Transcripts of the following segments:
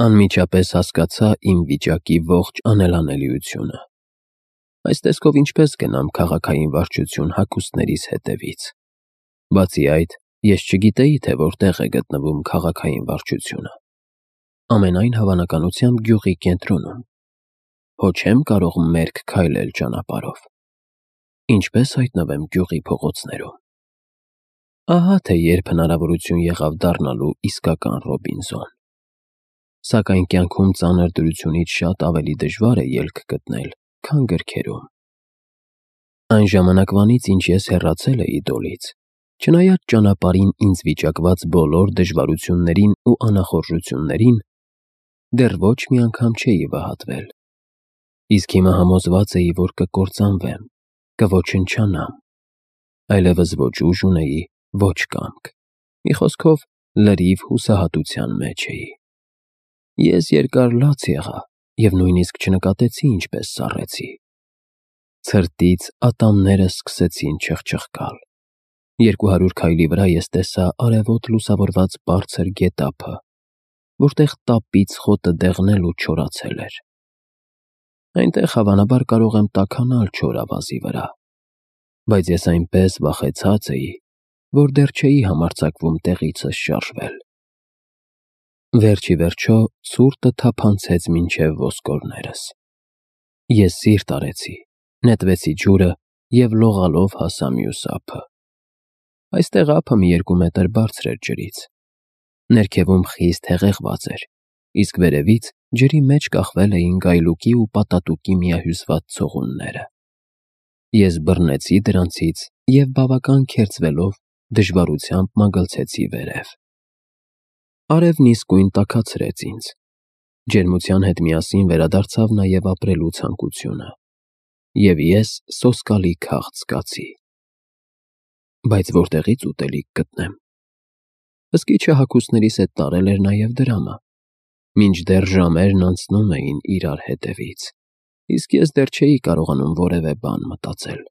Անմիջապես հասկացա իմ վիճակի ողջ անելանելիությունը։ Այս տեսքով ինչպես գնամ քաղաքային վարչություն հագուստներիս հետևից։ Բացի այդ, ես չգիտեի, թե որտեղ է գտնվում քաղաքային վարչությունը։ Ամենայն հավանականությամբ գյուղի կենտրոնում։ Հո չեմ կարող մերկ քայլել ճանապարհով։ Ինչպես հայտնվեմ գյուղի փողոցներում։ Ահա թե երբ հնարավորություն եղավ դառնալու իսկական Ռոբինզոն։ Սակայն կյանքում ծանր դրությունից շատ ավելի դժվար է ելք գտնել, քան գրքերում։ Այն ժամանակվանից, ինչ ես հեռացել էի Դոլից, չնայած ճանապարհին ինձ վիճակված բոլոր դժվարություններին ու անախորժություններին, դեռ ոչ մի անգամ չէի վհատվել։ Իսկ հիմա համոզված էի, որ կկործանվեմ, կոչնչանամ։ Այլևս ոչ ուժ ունեի, ոչ կամք։ Մի խոսքով, լրիվ հուսահատության մեջ էի։ Ես երկար լաց եղա և նույնիսկ չնկատեցի ինչպես սառեցի։ Ցրտից ատամներս սկսեցին չխչխկալ։ 200 քայլի վրա ես տեսա արևոտ լուսավորված բարձր գետափը, որտեղ տապից խոտը դեղնել ու չորացել էր։ Այնտեղ հավանաբար կարող եմ տաքանալ չոր ավազի վրա, բայց ես այնպես վախեցած էի, որ դեռ չէի համարձակվում տեղիցս շարժվել։ Վերջ ի վերջո ցուրտը թափանցեց մինչև ոսկորներս։ Ես սիրտ արեցի, նետվեցի ջուրը և լողալով հասա մյուս ափը։ Այստեղ ափը մի 2 մետր բարձր էր ջրից։ Ներքևում խիստ հեղեղված էր, իսկ վերևից ջրի մեջ կախվել էին գայլուկի ու պատատուկի միահյուսված ցողունները։ Ես բռնեցի դրանցից և բավական քերծվելով դժվարությամբ մագլցեցի վերև։ Արևն իսկույն տաքացրեց ինձ։ Ջերմության հետ միասին վերադարձավ նաև ապրելու ցանկությունը, և ես սոսկալի քաղց զգացի։ Բայց որտեղի՞ց ուտելիք գտնեմ։ Հսկիչը հագուստներիս հետ տարել էր նաև դրամը, մինչդեռ ժամերն անցնում էին իրար հետևից, իսկ ես դեռ չէի կարողանում որևէ բան մտածել։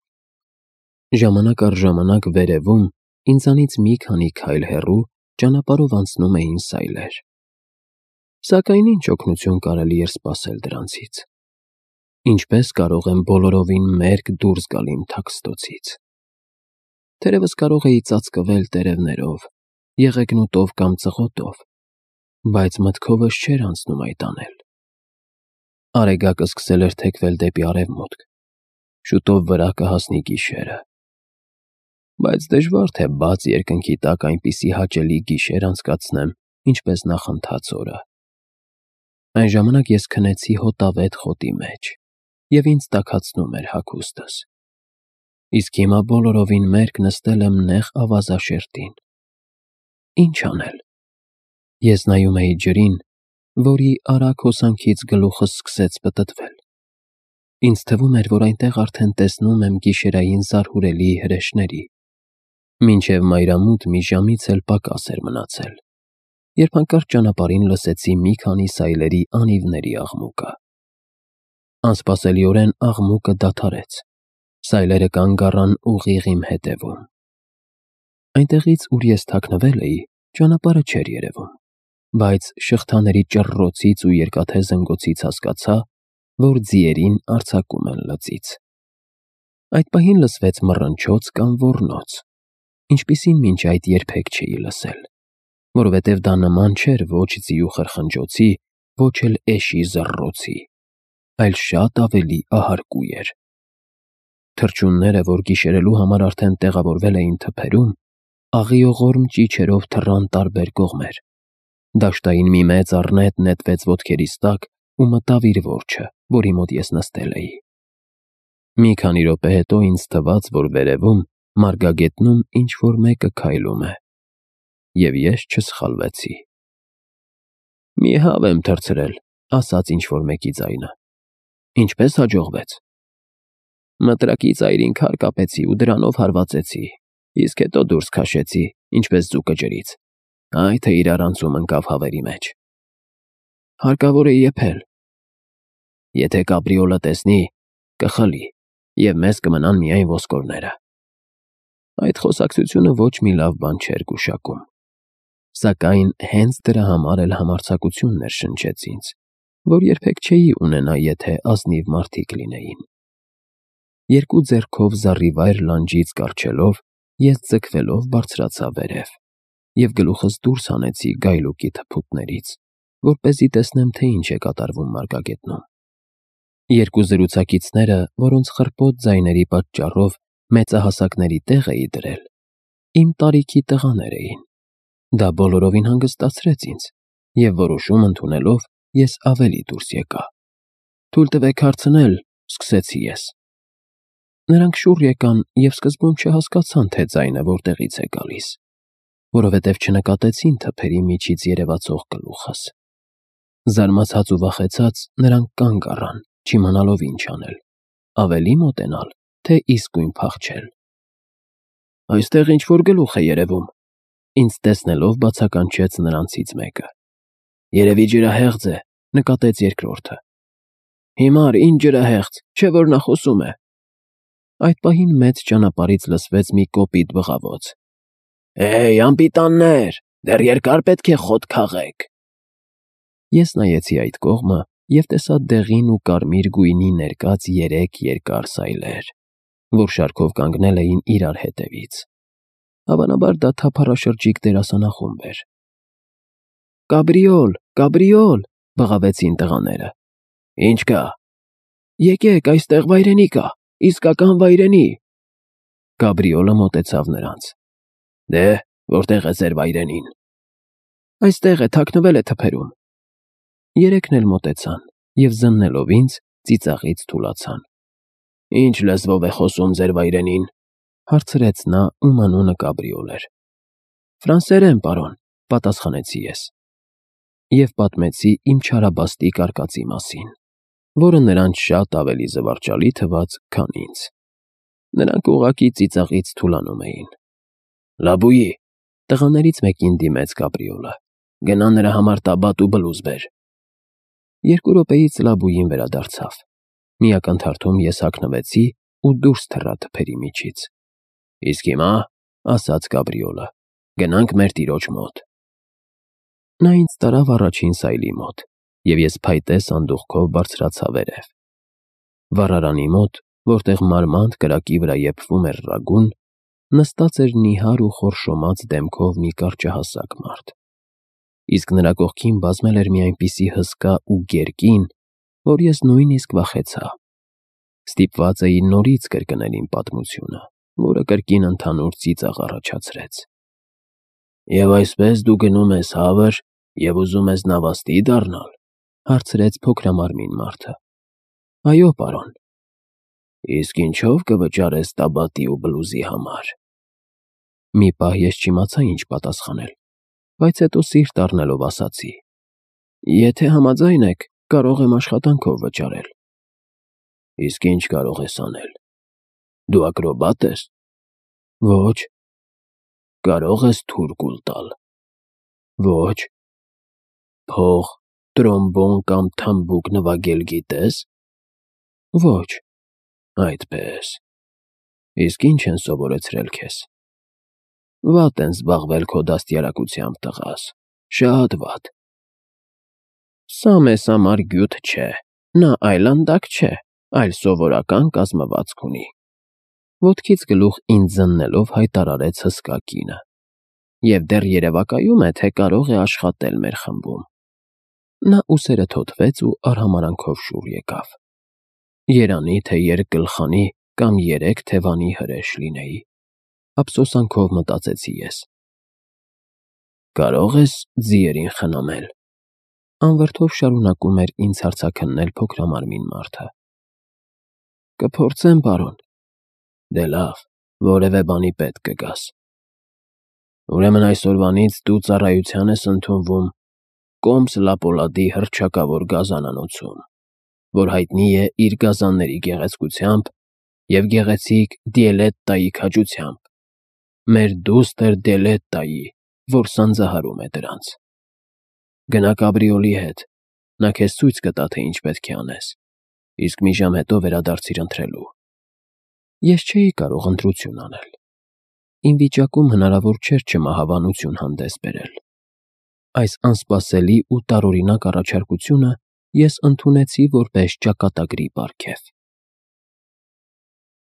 Ժամանակ առ ժամանակ վերևում, ինձանից մի քանի քայլ հեռու, ճանապարհով անցնում էին սայլեր։ Սակայն ինչ օգնություն կարելի էր սպասել դրանցից։ Ինչպես կարող եմ բոլորովին մերկ դուրս գալ իմ թաքստոցից։ Թերևս կարող էի ծածկվել տերևներով, եղեգնուտով կամ ծղոտով, բայց մտքովս չէր անցնում այդ անել։ Արեգակը սկսել էր թեքվել դեպի արևմուտք։ Շուտով վրա կհասնի գիշերը։ Բայց դժվար թե բաց երկնքի տակ այնպիսի հաճելի գիշեր անցկացնեմ, ինչպես նախընթաց օրը։ Այն ժամանակ ես քնեցի հոտավետ խոտի մեջ, և ինձ տաքացնում էր հագուստս։ Իսկ հիմա բոլորովին մերկ նստել եմ նեղ ավազաշերտին։ Ինչ անել։ Ես նայում էի ջրին, որի արագ հոսանքից գլուխս սկսեց պտտվել։ Ինձ թվում էր, որ այնտեղ արդեն տեսնում եմ գիշերային զարհուրելի հրեշների։ Մինչև մայրամուտ մի ժամից էլ պակաս էր մնացել, երբ հանկարծ ճանապարհին լսեցի մի քանի սայլերի անիվների աղմուկը։ Անսպասելիորեն աղմուկը դադարեց։ Սայլերը կանգ առան ուղիղ իմ հետևում։ Այնտեղից, ուր ես թաքնվել էի, ճանապարհը չէր երևում, բայց շղթաների ճռռոցից ու երկաթե զնգոցից հասկացա, որ ձիերին արձակում են լծից։ Այդ պահին լսվեց մռնչոց կամ ոռնոց, ինչպիսին մինչ այդ երբեք չէի լսել, որովհետև դա նման չէր ոչ ձիու խրխնջոցի, ոչ էլ էշի զռռոցի, այլ շատ ավելի ահարկու էր։ Թռչունները, որ գիշերելու համար արդեն տեղավորվել էին թփերում, աղիողորմ ճիչերով թռան տարբեր կողմեր։ Դաշտային մի մեծ առնետ նետվեց ոտքերիս տակ ու մտավ իր որջը, որի մոտ ես նստել էի։ Մի քանի րոպե հետո ինձ թվաց, որ վերևում, մարգագետնում ինչ-որ մեկը քայլում է, և ես չսխալվեցի։ «Մի հավ եմ թռցրել», ասաց ինչ-որ մեկի ձայնը։ «Ինչպե՞ս հաջողվեց»։ «Մտրակի ծայրին քար կապեցի ու դրանով հարվածեցի, իսկ հետո դուրս քաշեցի, ինչպես ձուկը ջրից, այ թե իրար անցում ընկավ հավերի մեջ։ Հարկավոր է եփել։ Եթե կապրիոլը տեսնի, կխլի, և մեզ կմնան միայն ոսկորները»։ Այդ խոսակցությունը ոչ մի լավ բան չէր գուշակում։ Սակայն հենց դրա համար էլ համարձակություն ներշնչեց ինձ, որ երբեք չէի ունենա, եթե ազնիվ մարդիկ լինեին։ Երկու ձեռքով զառիվայր լանջից կառչելով, ես ձգվելով բարձրացա վերև և գլուխս դուրս հանեցի գայլուկի թփուտներից, որպեսզի տեսնեմ, թե ինչ է կատարվում մարգագետնում։ Երկու զրուցակիցները, որոնց խռպոտ ձայների պատճառով մեծահասակների տեղ էի դրել, իմ տարիքի տղաներ էին։ Դա բոլորովին հանգստացրեց ինձ, և որոշում ընդունելով, ես ավելի դուրս եկա։ «Թույլ տվեք հարցնել», սկսեցի ես։ Նրանք շուռ եկան և սկզբում չհասկացան, թե ձայնը որտեղից է գալիս, որովհետև չնկատեցին թփերի միջից երևացող գլուխս։ Զարմացած ու վախեցած նրանք կանգ առան, չիմանալով ինչ անել, ավելի մոտենալ, թե իսկույն փախչել։ «Այստեղ ինչ-որ գլուխ է երևում», ինձ տեսնելով բացականչեց նրանցից մեկը։ «Երևի ջրահեղձ է», նկատեց երկրորդը։ «Հիմար, ինչ ջրահեղձ, չէ՞ որ նա խոսում է»։ Այդ պահին մեծ ճանապարհից լսվեց մի կոպիտ բղավոց. «Հեյ, անպիտաններ, դեռ երկար պետք է խոտ քաղեք»։ Ես նայեցի այդ կողմը և տեսա դեղին ու կարմիր գույնի ներկած 3 երկար սայլեր, որ շարքով կանգնել էին իրար հետևից։ Հավանաբար դա թափառաշրջիկ դերասանախումբ էր։ «Կաբրիոլ, կաբրիոլ», բղավեցին տղաները։ «Ինչ կա»։ «Եկեք, այստեղ վայրենի կա, իսկական վայրենի»։ Կաբրիոլը մոտեցավ նրանց։ «Դե, որտեղ է ձեր վայրենին»։ «Այստեղ է, թաքնվել է թփերում»։ Երեքն էլ մոտեցան և զննելով ինձ, ծիծաղից թուլացան։ «Ինչ լեզվով է խոսում ձեր վայրենին», հարցրեց նա, ում անունը Կաբրիոլ էր։ «Ֆրանսերեն, պարոն», պատասխանեցի ես։ Եվ պատմեցի իմ չարաբաստիկ արկածի մասին, որը նրանց շատ ավելի զվարճալի թվաց, քան ինձ։ Նրանք ուղղակի ծիծաղից թուլանում էին։ «Լաբույի», տղաներից մեկին դիմեց Կաբրիոլը, «գնա նրա համար տաբատ ու բլուզ բեր»։ 2 րոպեից Լաբույին վերադարձավ։ Մի ակնթարթում ես հագնվեցի ու դուրս թռա թփերի միջից։ «Իսկ հիմա», ասաց Կաբրիոլը, «գնանք մեր տիրոջ մոտ»։ Նա ինձ տարավ առաջին սայլի մոտ, և ես փայտե սանդուղքով բարձրացա վերև։ Վառարանի մոտ, որտեղ մարմանդ կրակի վրա եփվում էր ռագուն, նստած էր նիհար ու խորշոմած դեմքով մի կարճահասակ մարդ։ Իսկ նրա կողքին բազմել էր մի այնպիսի հսկա ու գեր կին, որ ես նույնիսկ վախեցա։ Ստիպված էի նորից կրկնել իմ պատմությունը, որը կրկին ընդհանուր ծիծաղ առաջացրեց։ «Եվ այսպես դու գնում ես հավր և ուզում ես նավաստի դառնալ», հարցրեց փոքրամարմին մարդը։ «Այո, պարոն»։ «Իսկ ինչով կվճարես տաբատի ու բլուզի համար»։ Մի պահ ես չիմացա ինչ պատասխանել, բայց հետո սիրտ առնելով ասացի. «Եթե համաձայն եք, կարող եմ աշխատանքով վճարել»։ «Իսկ ինչ կարող ես անել։ Դու ակրոբատ ես»։ «Ոչ»։ «Կարող ես թուրկուլ տալ»։ «Ոչ»։ «Փող, տրոմբոն կամ թմբուկ նվագել գիտես»։ «Ոչ»։ «Այդպես։ Իսկ ինչ են սովորեցրել քեզ»։ «Վատ են զբաղվել քո դաստիարակությամբ, տղաս, շատ վատ»։ «Սա մեզ համար գյուտ չէ, նա այլանդակ չէ, այլ սովորական կազմվածք ունի», ոտքից գլուխ ինձ զննելով հայտարարեց հսկա կինը։ «Եվ դեռ երևակայում է, թե կարող է աշխատել մեր խմբում»։ Նա ուսերը թոթվեց ու արհամարանքով շուռ եկավ։ Երանի, թե երկգլխանի կամ 3 թևանի հրեշ լինեի, ափսոսանքով մտածեցի ես։ «Կարող ես ձիերին խնամել»։ Անվրդով շարունակում էր ինձ հարցաքննել փոքրամարմին մարդը։ «Կփորձեմ, պարոն»։ «Դե լավ, որևէ բանի պետք կգաս»։ «Ուրեմն այսօրվանից դու ծառայության ես ընդունվում Կոմս-Լա-Պոլադի հռչակավոր գազանանոցում, որ հայտնի է իր գազանների գեղեցկությամբ և գեղեցիկ Դիելետտայի քաջությամբ, մեր դուստր Դիելետտայի, որ սանձահարում է դրանց։ Գնա Կաբրիոլի հետ, նա քեզ ցույց կտա, թե ինչ պետք է անես, իսկ մի ժամ հետո վերադարձիր ընթրելու»։ Ես չէի կարող ընտրություն անել։ Իմ վիճակում հնարավոր չէր չմահավանություն հանդես բերել, Այս անսպասելի ու տարօրինակ առաջարկությունը ես ընդունեցի որպես ճակատագրի պարգև։